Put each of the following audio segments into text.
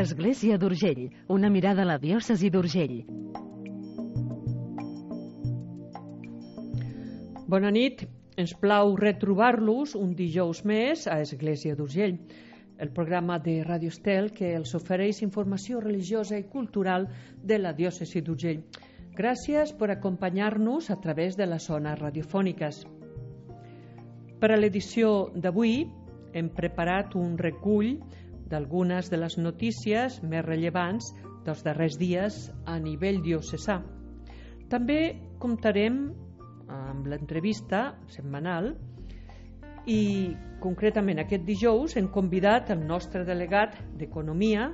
Església d'Urgell, una mirada a la diòcesi d'Urgell. Bona nit, ens plau retrobar-los un dijous més a Església d'Urgell, el programa de Radio Estel que els ofereix informació religiosa i cultural de la diòcesi d'Urgell. Gràcies per acompanyar-nos a través de les zones radiofòniques. Per a l'edició d'avui hem preparat un recull d'algunes de les notícies més rellevants dels darrers dies a nivell diocesà. També comptarem amb l'entrevista setmanal i concretament aquest dijous hem convidat el nostre delegat d'Economia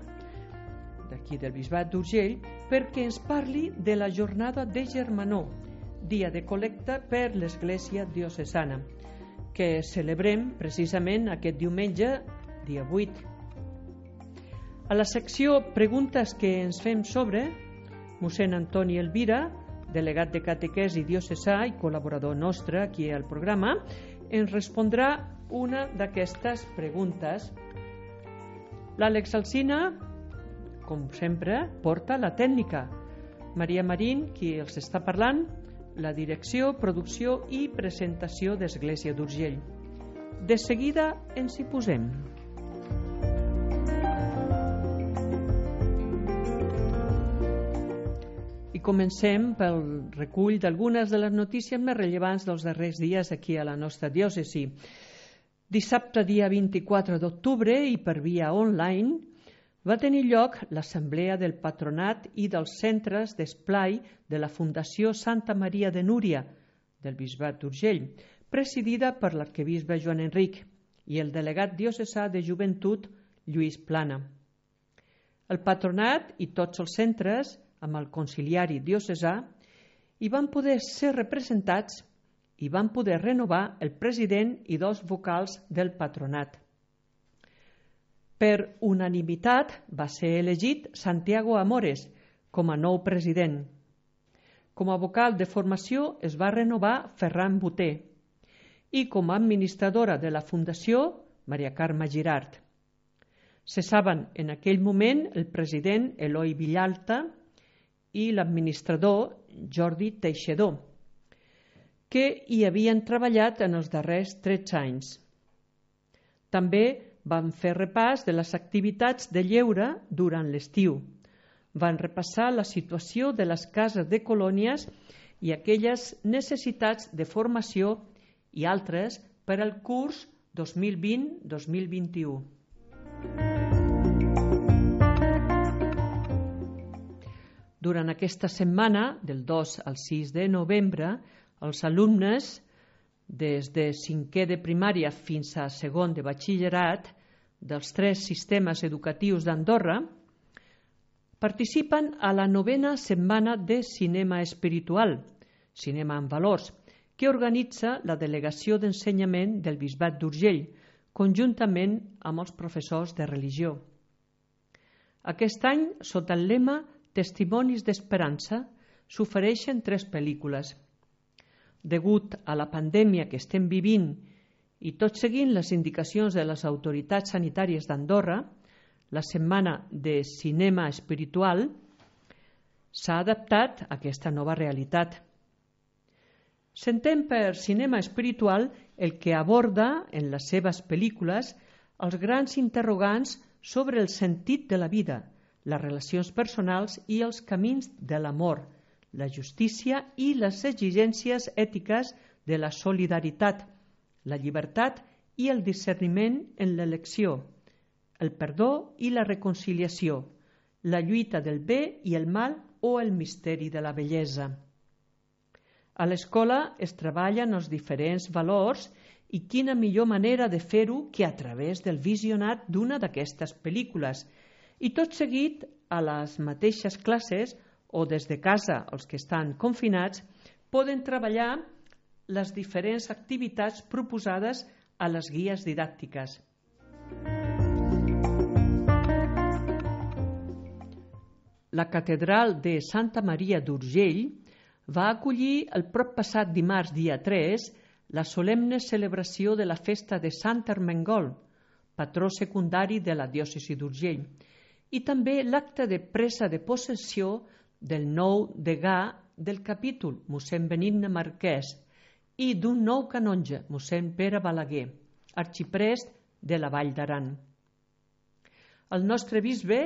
d'aquí del Bisbat d'Urgell perquè ens parli de la jornada de Germanor, dia de col·lecta per l'Església diocesana, que celebrem precisament aquest diumenge, dia 8. A la secció Preguntes que ens fem sobre, mossèn Antoni Elvira, delegat de catequesi diocesà i col·laborador nostre aquí al programa, ens respondrà una d'aquestes preguntes. L'Àlex Alsina, com sempre, porta la tècnica. Maria Marín, qui els està parlant, la direcció, producció i presentació d'Església d'Urgell. De seguida ens hi posem. I comencem pel recull d'algunes de les notícies més rellevants dels darrers dies aquí a la nostra diòcesi. Dissabte, dia 24 d'octubre, i per via online, va tenir lloc l'assemblea del patronat i dels centres d'esplai de la Fundació Santa Maria de Núria del Bisbat d'Urgell, presidida per l'arquebisbe Joan Enric i el delegat diocesà de Joventut Lluís Plana. El patronat i tots els centres, amb el conciliari diocesà, hi van poder ser representats i van poder renovar el president i dos vocals del patronat. Per unanimitat va ser elegit Santiago Amores com a nou president. Com a vocal de formació es va renovar Ferran Boter i com a administradora de la Fundació Maria Carme Girart. Cessaven en aquell moment el president Eloi Villalta i l'administrador Jordi Teixidor, que hi havien treballat en els darrers 13 anys. També van fer repàs de les activitats de lleure durant l'estiu. Van repassar la situació de les cases de colònies i aquelles necessitats de formació i altres per al curs 2020-2021. Durant aquesta setmana, del 2 al 6 de novembre, els alumnes, des de 5è de primària fins a 2è de batxillerat, dels 3 sistemes educatius d'Andorra, participen a la 9a setmana de cinema espiritual, Cinema en Valors, que organitza la Delegació d'Ensenyament del Bisbat d'Urgell, conjuntament amb els professors de religió. Aquest any, sota el lema Testimonis d'Esperança, s'ofereixen 3 pel·lícules. Degut a la pandèmia que estem vivint i tot seguint les indicacions de les autoritats sanitàries d'Andorra, la setmana de cinema espiritual s'ha adaptat a aquesta nova realitat. S'entén per cinema espiritual el que aborda en les seves pel·lícules els grans interrogants sobre el sentit de la vida, les relacions personals i els camins de l'amor, la justícia i les exigències ètiques de la solidaritat, la llibertat i el discerniment en l'elecció, el perdó i la reconciliació, la lluita del bé i el mal o el misteri de la bellesa. A l'escola es treballen els diferents valors i quina millor manera de fer-ho que a través del visionat d'una d'aquestes pel·lícules, i tot seguit a les mateixes classes o des de casa els que estan confinats poden treballar les diferents activitats proposades a les guies didàctiques. La catedral de Santa Maria d'Urgell va acollir el proppassat dimarts dia 3 la solemne celebració de la festa de Sant Ermengol, patró secundari de la diòcesi d'Urgell, i també l'acte de presa de possessió del nou degà del capítol, mossèn Benigne Marquès, i d'un nou canonge, mossèn Pere Balaguer, arxiprest de la Vall d'Aran. El nostre bisbe,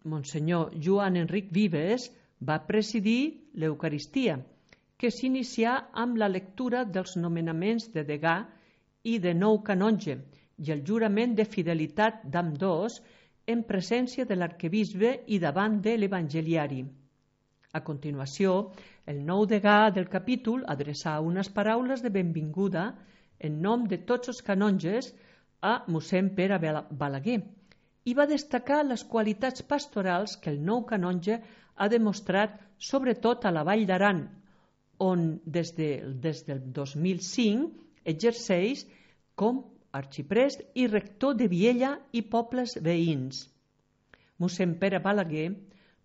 monsenyor Joan Enric Vives, va presidir l'Eucaristia, que s'inicià amb la lectura dels nomenaments de degà i de nou canonge i el jurament de fidelitat d'ambdós en presència de l'arquebisbe i davant de l'evangeliari. A continuació, el nou degà del capítol adreçà unes paraules de benvinguda en nom de tots els canonges a mossèn Pere Balaguer i va destacar les qualitats pastorals que el nou canonge ha demostrat sobretot a la Vall d'Aran, on des del 2005 exerceix com arxiprest i rector de Viella i pobles veïns. Mossèn Pere Balaguer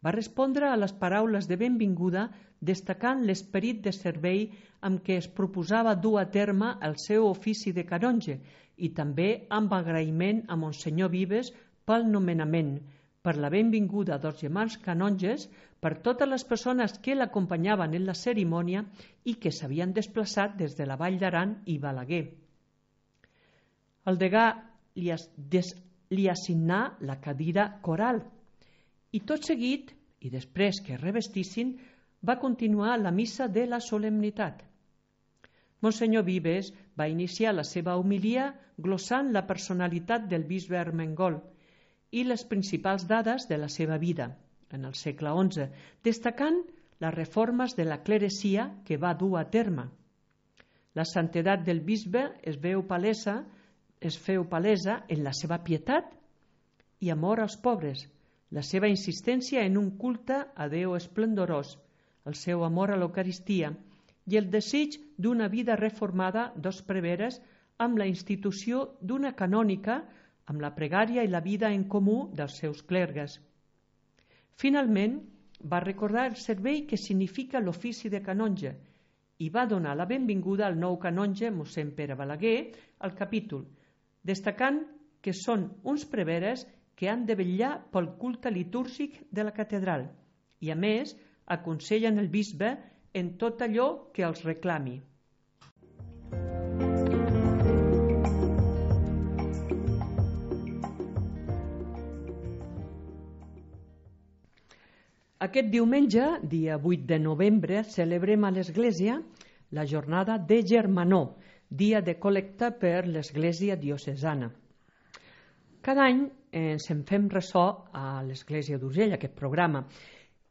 va respondre a les paraules de benvinguda destacant l'esperit de servei amb què es proposava dur a terme el seu ofici de canonge i també amb agraïment a monsenyor Vives pel nomenament, per la benvinguda dels germans canonges, per totes les persones que l'acompanyaven en la cerimònia i que s'havien desplaçat des de la Vall d'Aran i Balaguer. El degà li assignà la cadira coral i tot seguit, i després que revestissin, va continuar la missa de la solemnitat. Monsenyor Vives va iniciar la seva homilia glossant la personalitat del bisbe Armengol i les principals dades de la seva vida en el segle XI, destacant les reformes de la clerecia que va dur a terme. La santedat del bisbe es feu palesa en la seva pietat i amor als pobres, la seva insistència en un culte a Déu esplendorós, el seu amor a l'Eucaristia i el desig d'una vida reformada dos preveres amb la institució d'una canònica amb la pregària i la vida en comú dels seus clergues. Finalment, va recordar el servei que significa l'ofici de canonge i va donar la benvinguda al nou canonge, mossèn Pere Balaguer, al capítol, destacant que són uns preveres que han de vetllar pel culte litúrgic de la catedral i, a més, aconsellen el bisbe en tot allò que els reclami. Aquest diumenge, dia 8 de novembre, celebrem a l'Església la jornada de Germanor, dia de col·lecta per l'Església diocesana. Cada any ens en fem ressò a l'Església d'Urgell, aquest programa,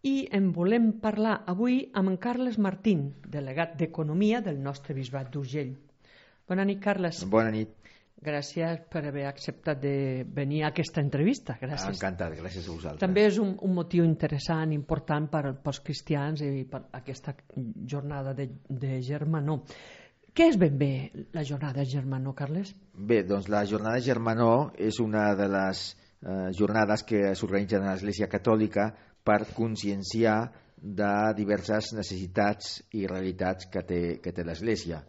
i en volem parlar avui amb en Carles Martín, delegat d'Economia del nostre bisbat d'Urgell. Bona nit, Carles. Bona nit. Gràcies per haver acceptat de venir a aquesta entrevista. Gràcies. Encantat, gràcies a vosaltres. També és un motiu interessant, important pels cristians i per aquesta jornada de Germanor. Què és ben bé la jornada de Germanor, Carles? Bé, doncs la jornada de Germanor és una de les jornades que s'organitzen a l'Església Catòlica per conscienciar de diverses necessitats i realitats que té l'Església,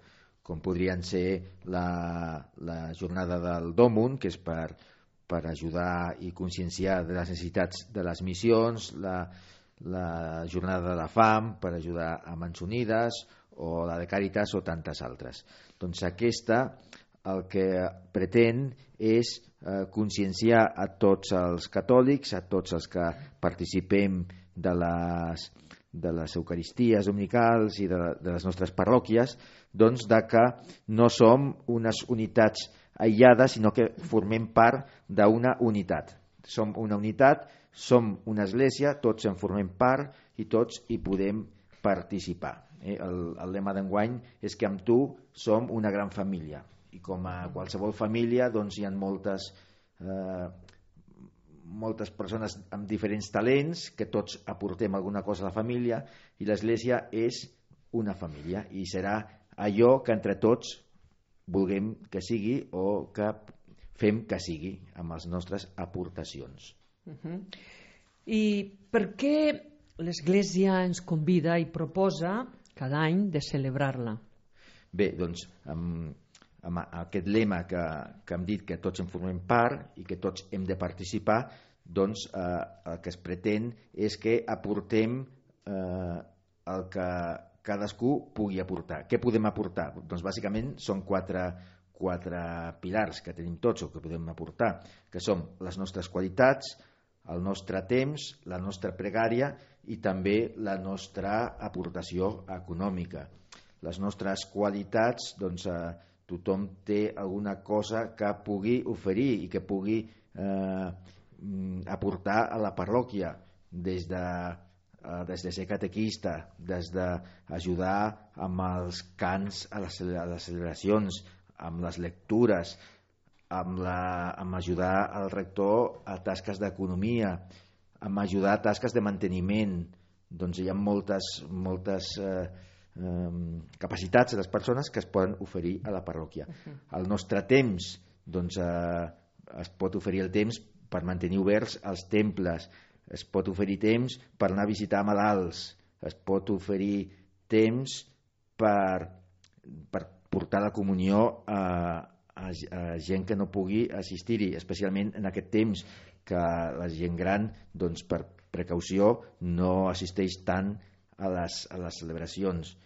com podrien ser la jornada del Dòmun, que és per ajudar i conscienciar de les necessitats de les missions, la jornada de la fam, per ajudar a Mans Unides, o la de Càritas o tantes altres. Doncs aquesta el que pretén és conscienciar a tots els catòlics, a tots els que participem de les Eucaristies dominicals i de les nostres parròquies, doncs de que no som unes unitats aïllades, sinó que formem part d'una unitat. Som una unitat, som una església, tots en formem part i tots hi podem participar. El lema d'enguany és que amb tu som una gran família, i com a qualsevol família doncs hi ha moltes persones amb diferents talents que tots aportem alguna cosa a la família, i l'Església és una família i serà allò que entre tots vulguem que sigui o que fem que sigui amb les nostres aportacions. I per què l'Església ens convida i proposa cada any de celebrar-la? Bé, doncs amb aquest lema que hem dit que tots en formem part i que tots hem de participar, doncs el que es pretén és que aportem el que cadascú pugui aportar. Què podem aportar? Doncs bàsicament són quatre pilars que tenim tots o que podem aportar, que són les nostres qualitats, el nostre temps, la nostra pregària i també la nostra aportació econòmica. Les nostres qualitats, doncs tothom té alguna cosa que pugui oferir i que pugui aportar a la parròquia, des de ser catequista, des d'ajudar amb els cants a les celebracions, amb les lectures, amb ajudar al rector a tasques d'economia, amb ajudar a tasques de manteniment. Doncs hi ha moltes capacitats de les persones que es poden oferir a la parròquia. El nostre temps, doncs es pot oferir el temps per mantenir oberts els temples, es pot oferir temps per anar a visitar malalts, es pot oferir temps per portar la comunió a gent que no pugui assistir-hi, especialment en aquest temps que la gent gran, doncs, per precaució no assisteix tant a les celebracions.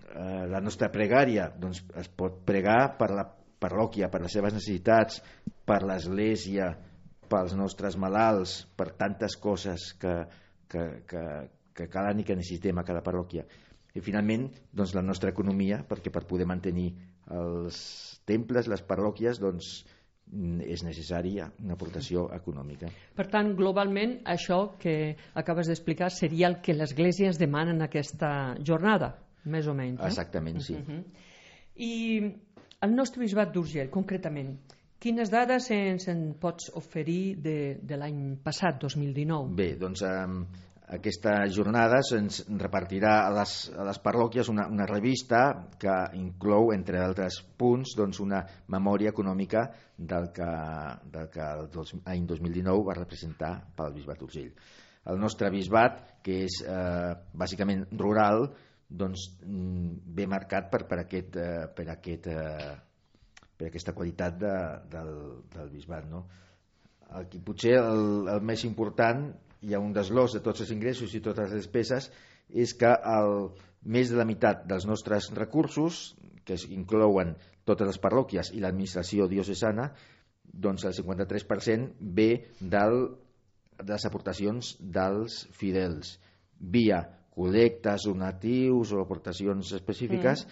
La nostra pregària, doncs, es pot pregar per la parròquia, per les seves necessitats, per l'església, pels nostres malalts, per tantes coses que calen i que necessitem a cada parròquia. I finalment, doncs, la nostra economia, perquè per poder mantenir els temples, les parròquies, doncs és necessària una aportació econòmica. Per tant, globalment, això que acabes d'explicar seria el que l'Església ens demana en aquesta jornada, més o menys. Exactament, sí. I el nostre bisbat d'Urgell, concretament, quines dades ens en pots oferir de l'any passat, 2019? Bé, doncs aquesta jornada se'ns repartirà a les parròquies una revista que inclou, entre altres punts, doncs una memòria econòmica del que l'any 2019 va representar pel bisbat d'Urgell. El nostre bisbat, que és bàsicament rural, doncs ve marcat per aquesta qualitat del bisbat, no? Aquí potser el més important, hi ha un desglòs de tots els ingressos i totes les despeses, és que més de la meitat dels nostres recursos, que inclouen totes les parròquies i l'administració diocesana, doncs el 53% ve de les aportacions dels fidels, via col·lectes, donatius o aportacions específiques,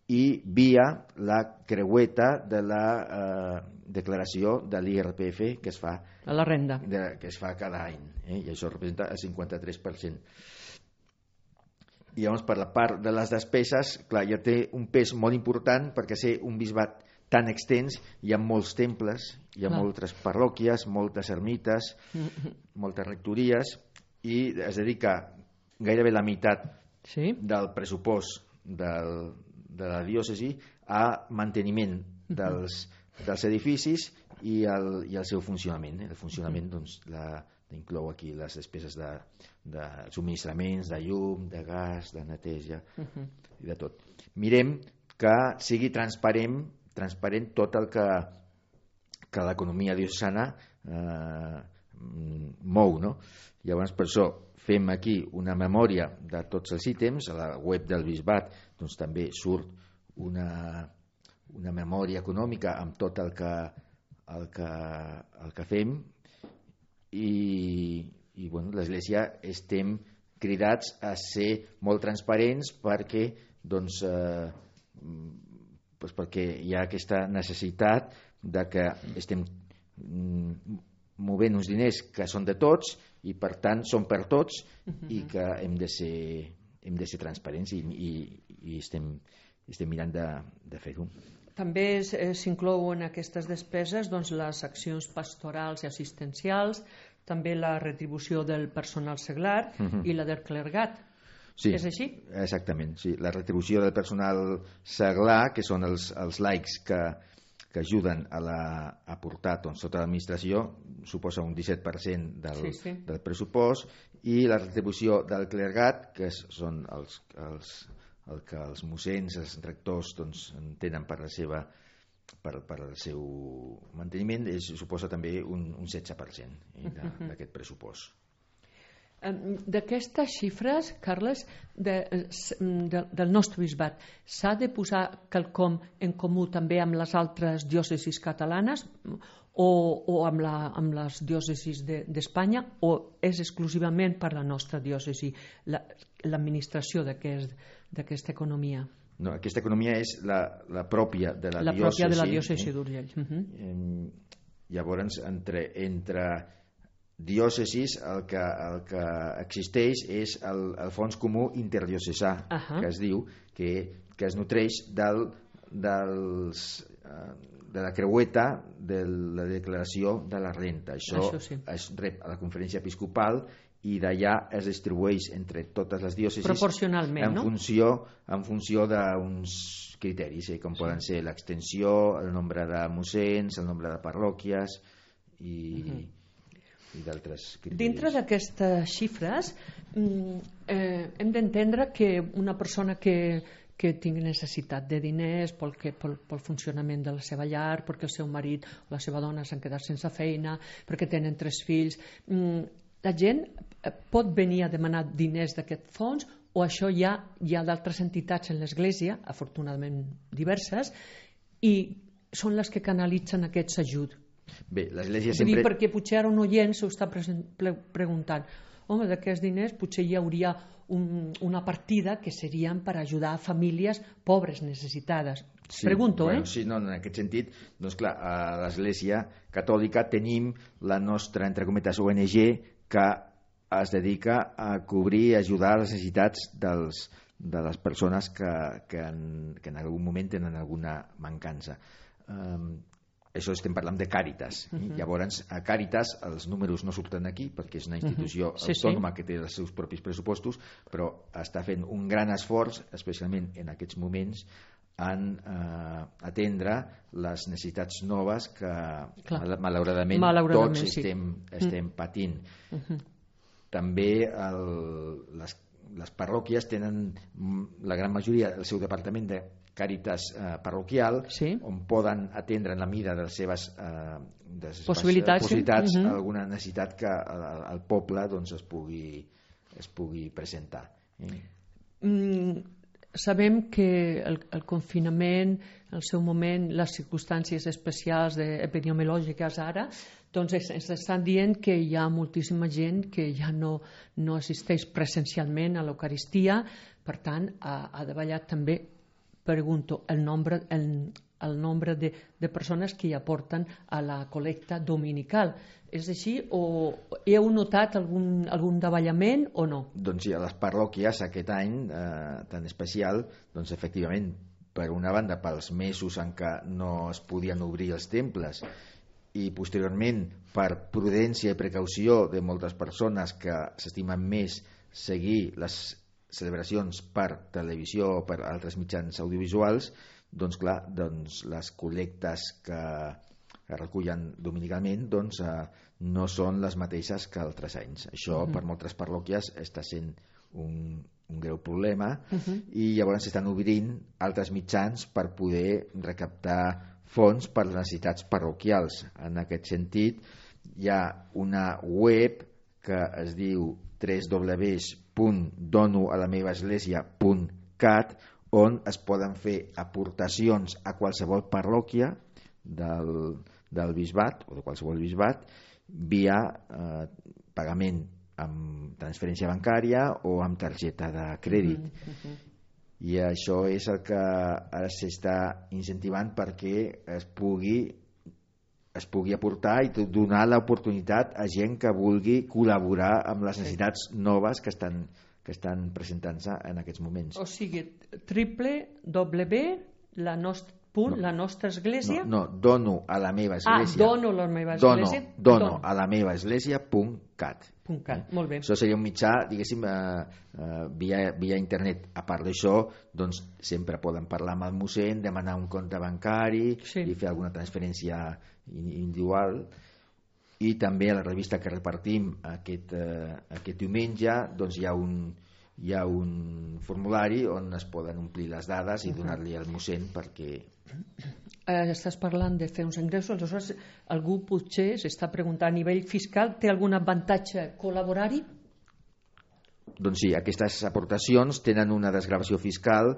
i via la creueta de la declaració de l'IRPF que es fa a la renda, que es fa cada any, i això representa el 53%. I llavors, per la part de les despeses, clar, ja té un pes molt important, perquè ser un bisbat tan extens, hi ha molts temples, hi ha moltes parròquies, moltes ermites, moltes rectories, i es dedica gairebé la meitat del pressupost de la diòcesi a manteniment dels edificis i el seu funcionament. El funcionament, doncs, inclou aquí les despeses de subministraments, de llum, de gas, de neteja i de tot. Mirem que sigui transparent tot el que l'economia diocesana mou, no? Llavors, per això fem aquí una memòria de tots els ítems. A la web del bisbat doncs, també surt una memòria econòmica amb tot el que fem, i bueno, l'Església estem cridats a ser molt transparents perquè hi ha aquesta necessitat de que estem movent uns diners que són de tots i per tant són per tots, i que hem de ser transparents, i estem mirant de fer-ho. També s'inclouen en aquestes despeses doncs, les accions pastorals i assistencials, també la retribució del personal seglar i la del clergat. Sí, és així? Exactament, sí. La retribució del personal seglar, que són els laics que ajuden a portar tota l'administració, suposa un 17% del pressupost, i la retribució del clergat, que són el que els mossens, els rectors, tenen per la seva per al seu manteniment suposa també un 16% d'aquest pressupost. D'aquestes xifres, Carles, del nostre bisbat, s'ha de posar quelcom en comú també amb les altres diòcesis catalanes o amb les diòcesis d'Espanya, o és exclusivament per la nostra diòcesi l'administració d'aquesta economia? No, aquesta economia és la pròpia de la diòcesi. La pròpia de la diòcesi d'Urgell. Llavors, entre diòcesis el que existeix és el fons comú interdiocesà, que es diu, que es nutreix de la creueta de la declaració de la renta. Això es rep a la conferència episcopal i d'allà es distribueix entre totes les diòcesis proporcionalment, en funció d'uns criteris, com poden ser l'extensió, el nombre de mossens, el nombre de parròquies i d'altres criteris. Dintre d'aquestes xifres hem d'entendre que una persona que tingui necessitat de diners pel funcionament de la seva llar, perquè el seu marit o la seva dona s'han quedat sense feina, perquè tenen 3 fills, la gent pot venir a demanar diners d'aquest fons, o això hi ha d'altres entitats en l'Església, afortunadament diverses, i són les que canalitzen aquests ajuts. Bé, l'Església sempre... Perquè potser ara un oient s'ho està preguntant, home, d'aquests diners potser hi hauria una partida que serien per ajudar a famílies pobres, necessitades. Pregunto, Sí, no, en aquest sentit, doncs clar, a l'Església Catòlica tenim la nostra, entre cometes, ONG, que es dedica a cobrir i ajudar les necessitats de les persones que en algun moment tenen alguna mancança. Això estem parlant de Càritas. Llavors, a Càritas els números no surten aquí perquè és una institució autònoma que té els seus propis pressupostos, però està fent un gran esforç, especialment en aquests moments, en atendre les necessitats noves que malauradament tots estem patint. També les parròquies tenen la gran majoria del seu departament de Càritas parroquial, on poden atendre en la mida de les seves possibilitats alguna necessitat que el poble es pugui presentar. Sabem que el confinament, el seu moment, les circumstàncies especials epidemiològiques ara, doncs ens estan dient que hi ha moltíssima gent que ja no assisteix presencialment a l'Eucaristia, per tant ha davallat també, pregunto, el nombre de persones que hi aporten a la col·lecta dominical. És així o heu notat algun davallament o no? Doncs sí, a les parròquies aquest any tan especial, doncs efectivament, per una banda pels mesos en què no es podien obrir els temples i posteriorment per prudència i precaució de moltes persones que s'estimen més seguir les celebracions per televisió o per altres mitjans audiovisuals, doncs clar, les col·lectes que recullen dominicalment no són les mateixes que altres anys. Això per moltes parròquies està sent un greu problema i llavors s'estan obrint altres mitjans per poder recaptar fons per les necessitats parroquials. En aquest sentit hi ha una web que es diu www.donoalamevaesglesia.cat on es poden fer aportacions a qualsevol parròquia del bisbat o de qualsevol bisbat via pagament amb transferència bancària o amb targeta de crèdit. I això és el que ara s'està incentivant perquè es pugui aportar i donar l'oportunitat a gent que vulgui col·laborar amb les necessitats noves que estan presentant-se en aquests moments. O sigui, la nostra església? No, dono a la meva església. Dono a la meva església. Dono a la meva església.cat. Molt bé. Això seria un mitjà, diguéssim, via internet. A part d'això, doncs sempre poden parlar amb el mossèn, demanar un compte bancari i fer alguna transferència individual. I també a la revista que repartim aquest diumenge doncs hi ha un formulari on es poden omplir les dades i donar-li al mossèn perquè... estàs parlant de fer uns ingressos, aleshores algú potser s'està preguntant a nivell fiscal, té algun avantatge col·laborar-hi? Doncs sí, aquestes aportacions tenen una desgravació fiscal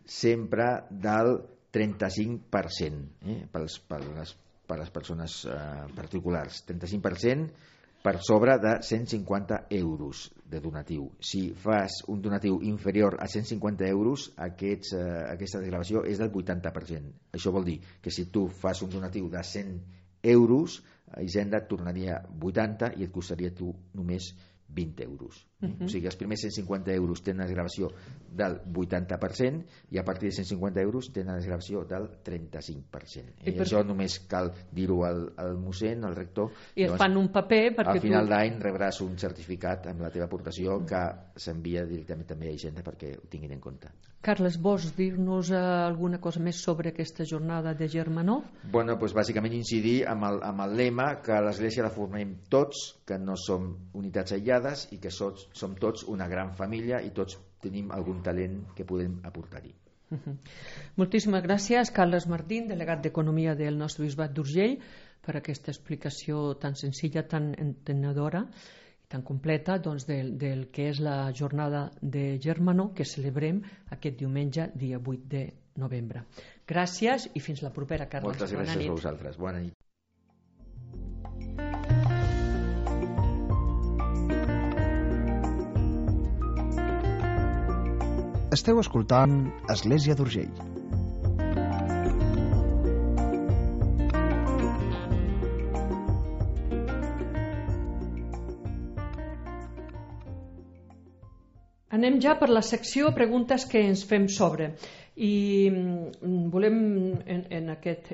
sempre del 35% per les persones particulars. 35% per sobre de 150 euros de donatiu. Si fas un donatiu inferior a 150 euros, aquesta desgravació és del 80%. Això vol dir que si tu fas un donatiu de 100 euros, Hisenda et tornaria 80 i et costaria tu només 20 euros. O sigui, els primers 150 euros tenen desgravació del 80% i a partir de 150 euros tenen desgravació del 35%. I això només cal dir-ho al mossèn, al rector. I et fan un paper perquè al final d'any rebràs un certificat amb la teva aportació que s'envia directament també a Hisenda perquè ho tinguin en compte. Carles, vols dir-nos alguna cosa més sobre aquesta jornada de Germanó? Bueno, doncs bàsicament incidir amb el lema que l'Església la formem tots, que no som unitats aïllades i que som tots una gran família i tots tenim algun talent que podem aportar-hi. Moltíssimes gràcies, Carles Martín, delegat d'Economia del nostre bisbat d'Urgell, per aquesta explicació tan senzilla, tan entenedora i tan completa del que és la jornada de Germanó que celebrem aquest diumenge, dia 8 de novembre. Gràcies i fins la propera, Carles. Moltes gràcies a vosaltres. Bona nit. Esteu escoltant Església d'Urgell. Anem ja per la secció preguntes que ens fem sobre. I volem en aquest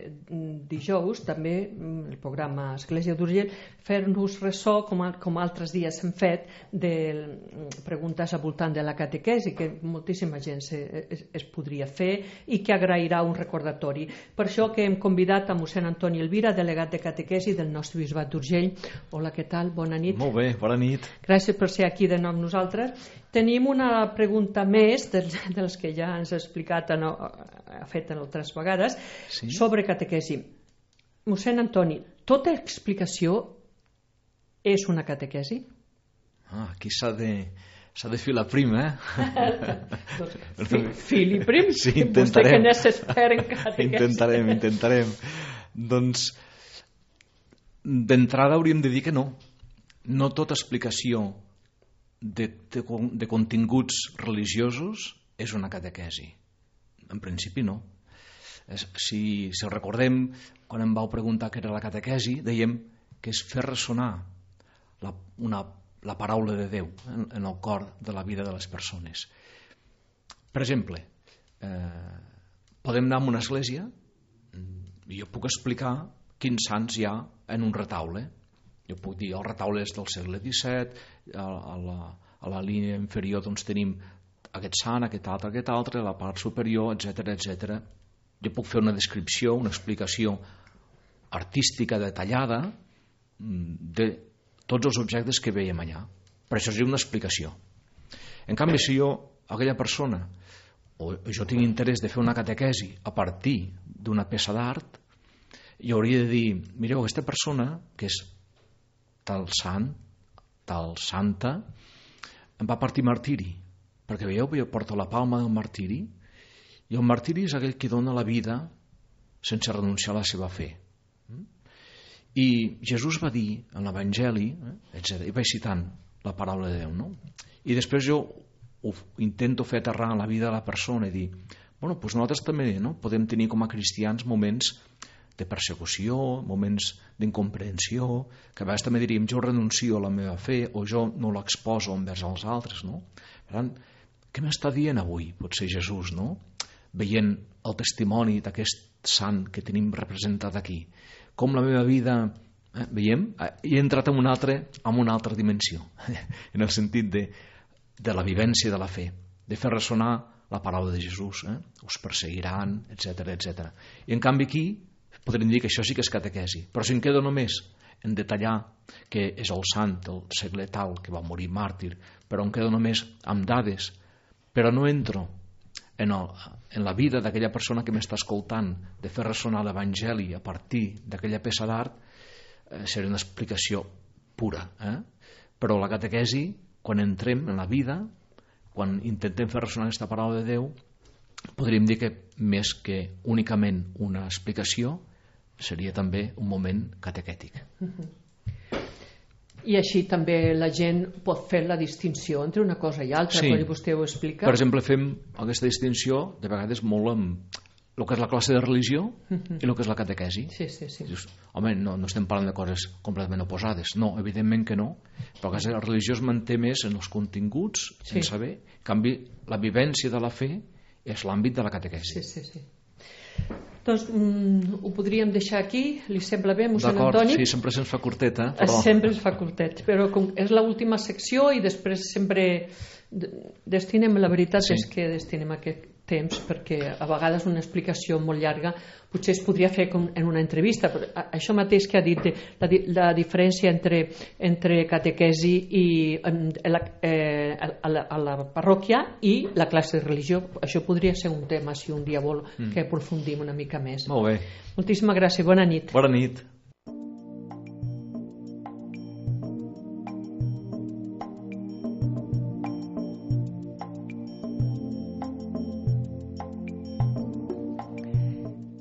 dijous també el programa Església d'Urgell fer-nos ressò com altres dies hem fet de preguntes al voltant de la catequesi que moltíssima gent es podria fer i que agrairà un recordatori. Per això que hem convidat a mossèn Antoni Elvira, delegat de catequesi del nostre bisbat d'Urgell. Hola, què tal? Bona nit. Molt bé, bona nit. Gràcies per ser aquí de nou amb nosaltres. Tenim una pregunta més de les que ja ens ha explicat ha fet en altres vegades, sí? Sobre catequesi. Mossèn Antoni, tota explicació és una catequesi? Aquí s'ha de filar prim, Fili prim? Sí, intentarem. Vostè que n'és expert en catequesi. Intentarem. Doncs, d'entrada hauríem de dir que no. No tota explicació de continguts religiosos és una catequesi. En principi no. Si recordem, quan em vau preguntar què era la catequesi, dèiem que és fer ressonar la paraula de Déu en el cor de la vida de les persones. Per exemple, podem anar a una església i jo puc explicar quins sants hi ha en un retaule. Jo puc dir, el retaule és del segle XVII, a la línia inferior doncs tenim aquest sant, aquest altre, a la part superior, etc. Jo puc fer una descripció, una explicació artística detallada de tots els objectes que veiem allà. Per això és una explicació. En canvi, si aquella persona, o jo tinc interès de fer una catequesi a partir d'una peça d'art, jo hauria de dir, mireu, aquesta persona, que és tal sant, tal santa, em va partir martiri, perquè veieu, jo porto la palma del martiri, i el martiri és aquell que dona la vida sense renunciar a la seva fe. I Jesús va dir en l'Evangeli, etc. I vaig citant la paraula de Déu, no? I després jo ho intento fer aterrar en la vida de la persona i dir, bueno, doncs nosaltres també podem tenir com a cristians moments de persecució, moments d'incomprensió, que a vegades també diríem jo renuncio a la meva fe o jo no l'exposo envers els altres, no? Per tant, què m'està dient avui, potser Jesús, no? Veient el testimoni d'aquest sant que tenim representat aquí, com la meva vida, veiem, he entrat en una altra dimensió, en el sentit de la vivència de la fe, de fer ressonar la paraula de Jesús, us perseguiran, etc. I en canvi aquí podríem dir que això sí que és catequesi, però si em quedo només en detallar que és el sant del segle tal que va morir màrtir, però em quedo només amb dades, però no entro en la vida d'aquella persona que m'està escoltant, de fer ressonar l'Evangeli a partir d'aquella peça d'art, seria una explicació pura. Però la catequesi, quan entrem en la vida, quan intentem fer ressonar aquesta paraula de Déu, podríem dir que més que únicament una explicació, seria també un moment catequètic. I així també la gent pot fer la distinció entre una cosa i altra, quan vostè ho explica. Per exemple, fem aquesta distinció de vegades molt amb el que és la classe de religió i el que és la catequesi. Sí. Dius, home, no estem parlant de coses completament oposades. No, evidentment que no. Però el religió es manté més en els continguts, en saber. En canvi, la vivència de la fe és l'àmbit de la catequesi. Sí. Doncs ho podríem deixar aquí, li sembla bé, mossèn Antoni? D'acord, sí, sempre se'ns fa curteta. Sempre es fa curtet, però com és l'última secció i després sempre destinem, la veritat és que destinem aquest temps, perquè a vegades una explicació molt llarga potser es podria fer en una entrevista, però això mateix que ha dit la diferència entre catequesi i a la parròquia i la classe de religió, això podria ser un tema si un dia vol que aprofundim una mica més. Molt bé. Moltíssimes gràcies, bona nit. Bona nit.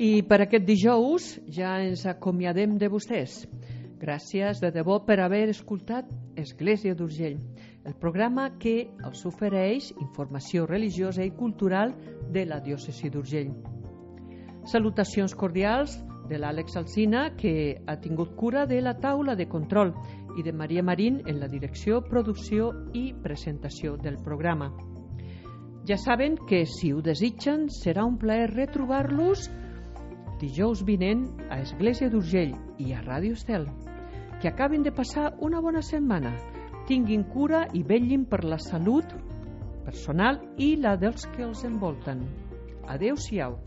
I per aquest dijous ja ens acomiadem de vostès. Gràcies de debò per haver escoltat Església d'Urgell, el programa que els ofereix informació religiosa i cultural de la diòcesi d'Urgell. Salutacions cordials de l'Àlex Alsina, que ha tingut cura de la taula de control, i de Maria Marín en la direcció, producció i presentació del programa. Ja saben que si ho desitgen serà un plaer retrobar-los dijous vinent a Església d'Urgell i a Ràdio Estel. Que acabin de passar una bona setmana. Tinguin cura i vetllin per la salut personal i la dels que els envolten. Adéu-siau.